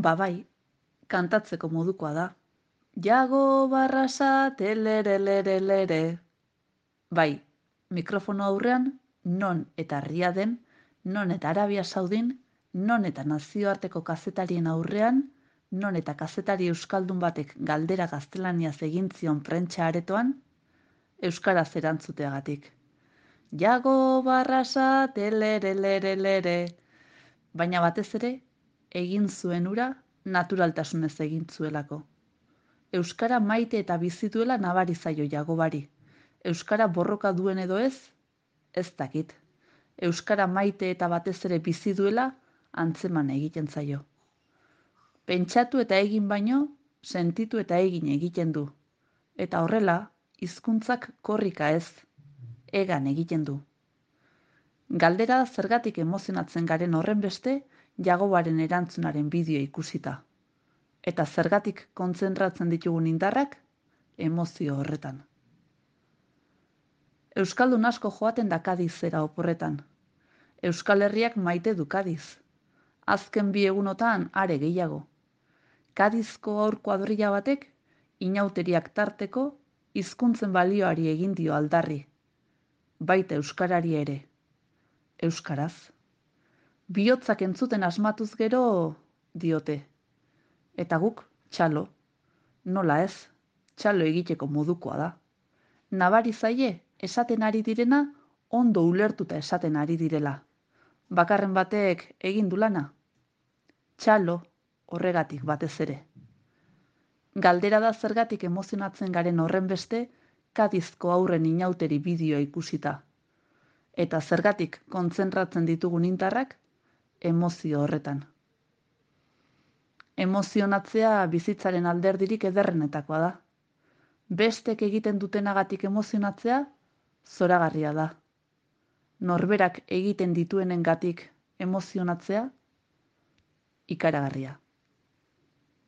Bai, kantatzeko modukoa da. Jago barrasa telerelerelere. Bai, mikrofono aurrean non eta herria den, non eta Arabia Saudin, non eta nazioarteko kazetarien aurrean, non eta kazetari euskaldun batek galdera gaztelaniaz egin zion prentsa aretoan, euskaraz erantzuteagatik. Jago barrasa telerelerelere. Baina batez ere, egin zuen hura naturaltasunez egin zuelako. Euskara maite eta bizi duela nabari zaio Jagobari. Euskara borroka duen edo ez dakit. Euskara maite eta batez ere bizi duela antzeman egiten zaio. Pentsatu eta egin baino, sentitu eta egin egiten du. Eta horrela, hizkuntzak korrika ez, egan egiten du. Galdera zergatik emozionatzen garen horren beste, Jagobaren erantzunaren bideo ikusita. Eta zergatik kontzentratzen ditugun indarrak, emozio horretan. Euskaldun asko joaten da Kadizera oporretan. Euskal Herriak maite du Kadiz. Azken 2 egunotan are gehiago. Kadizko haur kuadrilla batek, inauteriak tarteko, hizkuntzen balioari egin dio aldarri. Baita euskarari ere. Euskaraz. Bihotzak entzuten asmatuz gero, diote. Eta guk, txalo. Nola ez, txalo egiteko modukoa da. Nabari zaie, esaten ari direna, ondo ulertuta esaten ari direla. Bakarren batek egin du lana. Txalo, horregatik batez ere. Galdera da zergatik emozionatzen garen horren beste, Kadizko aurren inauteri bideoa ikusita. Eta zergatik kontzentratzen ditugun indarrak, emozio horretan. Emozionatzea bizitzaren alderdirik ederrenetakoa da. Bestek egiten dutenagatik emozionatzea, zoragarria da. Norberak egiten dituenengatik emozionatzea, ikaragarria.